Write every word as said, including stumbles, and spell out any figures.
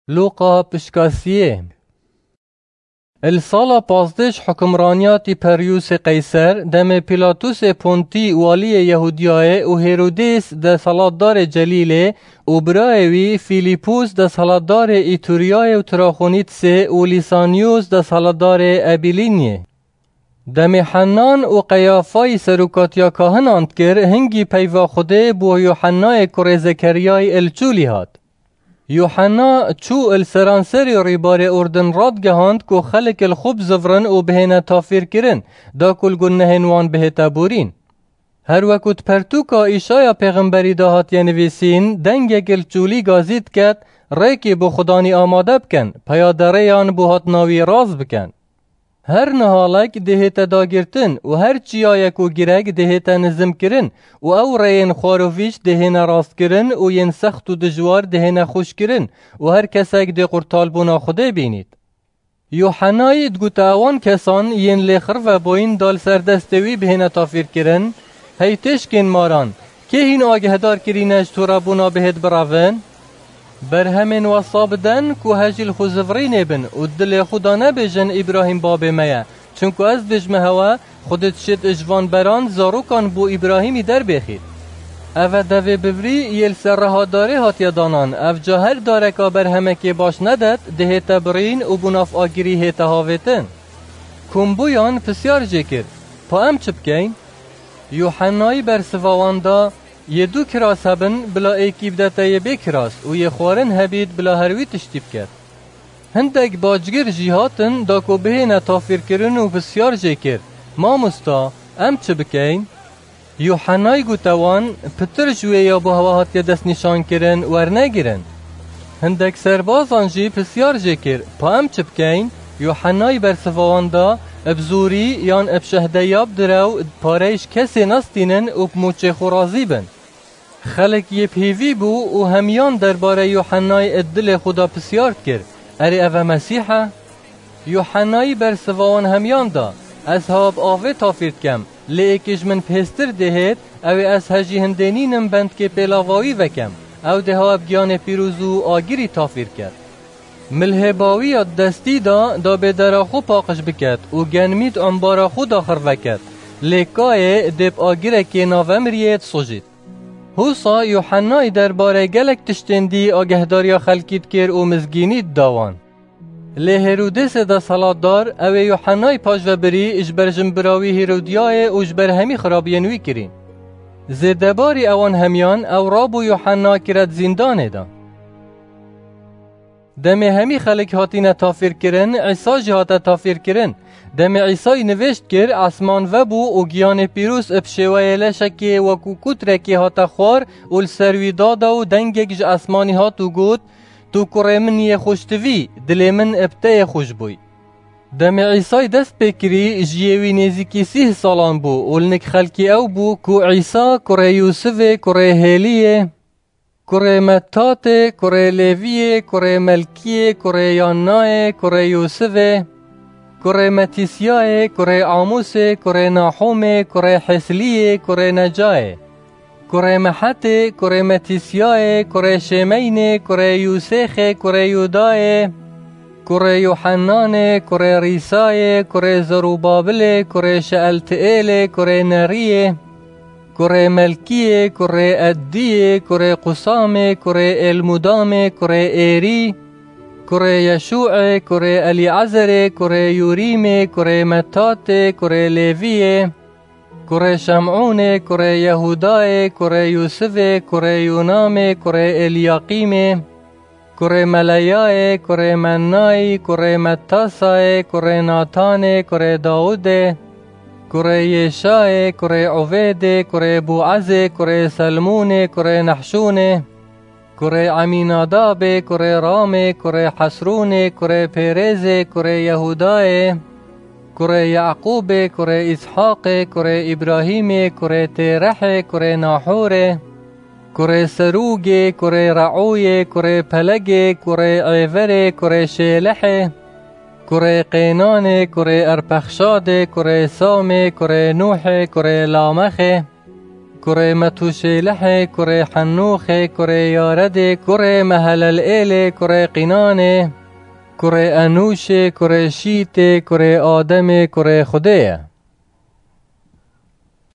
Luqa pişka siyê. Li sala pazdeh ji hukimraniya Tîperyûsê Qeyser, demê Pîlatusê Pontî waliyê Yehûdiyayê û Hêrodês desthilatdarê Celîlê û birayê wî Fîlîpûs desthilatdarê Îtûriyayê û Traxonîtsê û Lîsaniyûs desthilatdarê Ebilîniyê. Demê Hennan û Qeyafayî serokatiya kahinan dikir, hingî peyva Xwedê bo Yuhennayê kurê Zekeriyayî li çûlî hat. Yuhenna çû li seranserê rîbarê Urdin radigehand ku xelk li xwe bizivrin û bihêne tafîrkirin, da ku li gunehên wan bihête borîn. Her weku di pertûka Îşaya pêxemberî de hatiye nivîsîn, dengek li çûlî gazî diket, rêkê bo Xudanî amade bikin, peya derêyan bo hatina wî rast bikin. Her nihalek dihête dagirtin û her çiyayek û girek dihête nizimkirin û ew rêyên xwarovîç dihêne rastkirin û yên sext û dijwar dihêne xweşkirin û her kesek dê qurtalbûna Xwedê bînît. Yuhennayî digote ewan kesan yên lê xirve bûyîn da li ser destê wî bihêne tafîrkirin, hey têşkên maran, kê hîn agehdar kirîne ji tûrebûna bihêt birevin? Berhemên wesa bidin ku hejî li xwe zivirînê bin û dilê xwe da nebêjin Îbrahîm babê me ye, çunku ez dibêjime hewe, Xwedê dişêt ji van beran zarokan bo Îbrahîmî derbêxît. Ev e devê bivrî yê li ser reha darê hatiye danan, ev ca her dareka berhemekê baş nedet, dihête birîn û bo nav agirî hête havêtin. Komboyan pisyar jê kir, Pa em çi bikeyn? Yuhennayî bersiva wan da, Yê du kiras hebin, bila êkî bidete yê bê kiras û yê xwarin hebît, bila her wî tiştî biket. Hindek bacgir jî hatin da ku bihêne tafîrkirin û pisyar jê kir, Mamosta, em çi bikeyn? Yuhennayî gote wan, Pitir ji wê ya bo hewe hatiye destnîşankirin, wernegirin. Hindek serbazan jî pisyar jê kir, Pa em çi bikeyn? Yuhennayî bersiva wan da, Bi zorî yan bi şehdeya bi direw pareyê ji kesê nestînin û bi mûçê xwe razî bin. Xelk yê bi hêvî bû û hemiyan derbarê Yuhennayî di dilê xwe de pisyar dikir, Erê ev e Mesîh e? Yuhennayî bersiva wan hemiyan da, Ez hewa bi avê tafîr dikem, lê êkê ji min bihêztir dê hêt, ew ê ez hejî hindê nînim bendikê pêlava wî vekem. Ew dê hewa bi giyanê pîroz û agirî tafîr ket. Milhêba wî ya di destî da, da bê dera xwe paqij biket û genimî di embara xwe da xirve ket. Lê kayê dê bi agirekê navemiriyê disojît. Husa Yuhennayî derbarê gelek tiştên dî agehdariya xelkî dikir û mizgînî dida wan. Lê Hêrodêsê desthilatdar, ew ê Yuhennayî paş ve birî, ji ber jinbira wî Hêrodiyayê û ji ber hemî xirabiyên wî kirîn. Zêdebarî ewan hemiyan ew rabû Yuhenna kire di zîndanê de. Demê hemî xelk hatine tafîrkirin, Îsa jî hate tafîrkirin. Demê Îsayî nivêj dikir, esman vebû û giyanê pîroz bi şêweyê leşekê wekû kûtrekê hate xwar û li ser wî dada û dengek ji esmanî hat û got, Tu kurê min yê xweştivî, dilê min bi te yê xweş bûy. Demê Îsayî dest pê kirî, jiyê wî nêzîkî sîh salan bû û li nik xelkî ew bû ku Îsa kurê Yûsivê kurê Hêliyê, kurê Mettatê, kurê Lêviyê, kurê Melkiyê, kurê Yannayê, kurê Yûsivê, kurê Metîsyayê, kurê Amûsê, kurê Nahûmê, kurê Hesliyê, kurê Necayê, kurê Mehetê, kurê Metîsyayê, kurê Şêmeynê, kurê Yûsêxê, kurê Yûdayê, kurê Yuhennanê, kurê Rîsayê, kurê Zerubabilê, kurê Şeeltiêlê, kurê Neriyê, kurê Melkiyê, kurê Eddiyê, kurê Qusamê, kurê Êlmudamê, kurê Êrî, kurê Yeşûê, kurê Elîezerê, kurê Yûrîmê, kurê Mettatê, kurê Lêviyê, kurê Şemûnê, kurê Yehûdayê, kurê Yûsivê, kurê Yûnamê, kurê Elyaqîmê, kurê Meleyayê, kurê Mennayî, kurê Mettasayê, kurê Natanê, kurê Dawidê, kurê Yêşayê, kurê Uvêdê, kurê Bûezê, kurê Selmûnê, kurê Nehşûnê, kurê Emînadabê, kurê Ramê, kurê Hesrûnê, kurê Pêrêzê, kurê Yehûdayê, kurê Yaqûbê, kurê Îshaqê, kurê Îbrahîmê, kurê Têrehê, kurê Nahûrê, kurê Serûgê, kurê Reûyê, kurê Pelegê, kurê Êverê, kurê Şêlehê, kurê Qênanê, kurê Erpexşadê, kurê Samê, kurê Nûhê, kurê Lamexê, kurê Metûşêlehê, kurê Henûxê, kurê Yaredê, kurê Mehelelêlê, kurê Qînanê, kurê Enûşê, kurê Şîtê, kurê Ademê, kurê Xwedê ye.